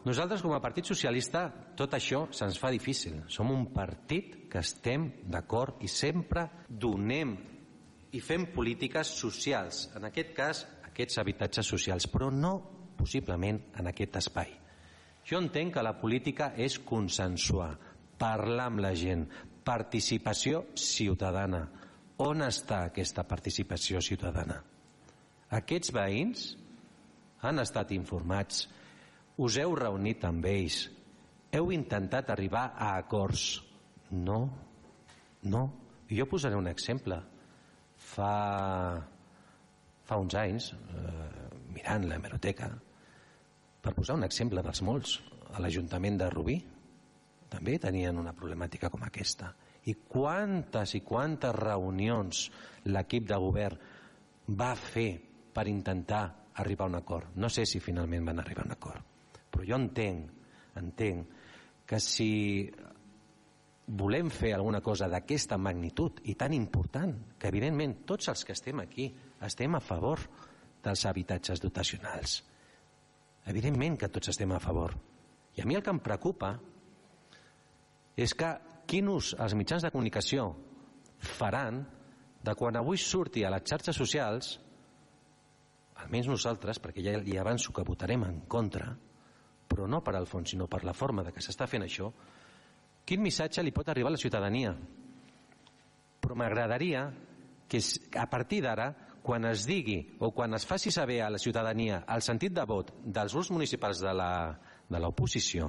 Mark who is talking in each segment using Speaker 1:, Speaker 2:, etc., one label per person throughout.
Speaker 1: Nosaltres, com a Partit Socialista, tot això se'ns fa difícil. Som un partit que estem d'acord i sempre donem i fem polítiques socials, en aquest cas, aquests habitatges socials, però no possiblement en aquest espai. Jo entenc que la política és consensuar, parlar amb la gent, participació ciutadana. On està aquesta participació ciutadana? Aquests veïns han estat informats, us heu reunit amb ells, heu intentat arribar a acords. No. Jo posaré un exemple. Fa uns anys, mirant l'hemeroteca, per posar un exemple dels molts, a l'Ajuntament de Rubí també tenien una problemàtica com aquesta. I quantes reunions l'equip de govern va fer per intentar arribar a un acord? No sé si finalment van arribar a un acord, però jo entenc que si volem fer alguna cosa d'aquesta magnitud i tan important, que evidentment tots els que estem aquí estem a favor dels habitatges dotacionals, evidentment que tots estem a favor, i a mi el que em preocupa és que quin ús els mitjans de comunicació faran de quan avui surti a les xarxes socials, almenys nosaltres, perquè ja li avanço que votarem en contra, però no per al fons sinó per la forma de que s'està fent això, quin missatge li pot arribar a la ciutadania. Però m'agradaria que a partir d'ara, quan es digui o quan es faci saber a la ciutadania el sentit de vot dels grups municipals de l'oposició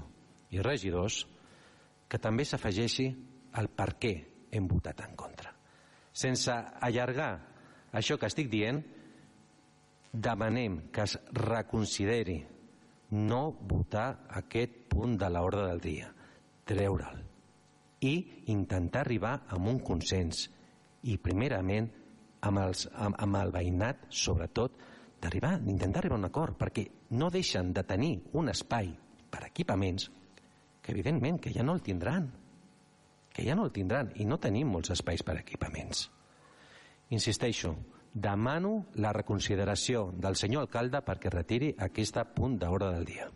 Speaker 1: i regidors, que també s'afegeixi el per què hem votat en contra. Sense allargar això que estic dient, demanem que es reconsideri no votar aquest punt de l'ordre del dia, treure'l i intentar arribar a un consens i primerament amb el veïnat, sobretot d'intentar arribar a un acord, perquè no deixen de tenir un espai per equipaments que evidentment que ja no el tindran i no tenim molts espais per equipaments. Insisteixo, demano la reconsideració del senyor alcalde perquè retiri aquest punt d'ordre del dia.